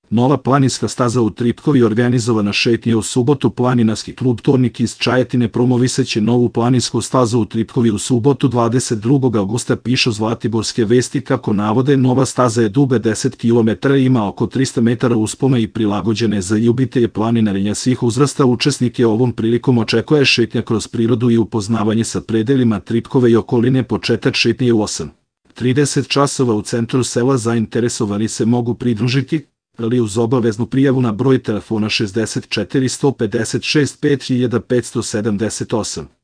Nova planinska staza u Tripkovi organizovana šetnja u subotu. Planinarski klub Tornik iz Čajetine promoviseće novu planinsku stazu u Tripkovi u subotu 22. augusta, pišu Zlatiborske vesti. Kako navode, nova staza je duga 10 km i ima oko 300 metara uspona i prilagođene za ljubitelje planinarenja svih uzrasta. Učesnike ovom prilikom očekuje šetnja kroz prirodu i upoznavanje sa predelima Tripkove i okoline. Početak šetnje u 8:30 časova u centru sela. Zainteresovani se mogu pridružiti ali uz obaveznu prijavu na broj telefona 64 156 5578.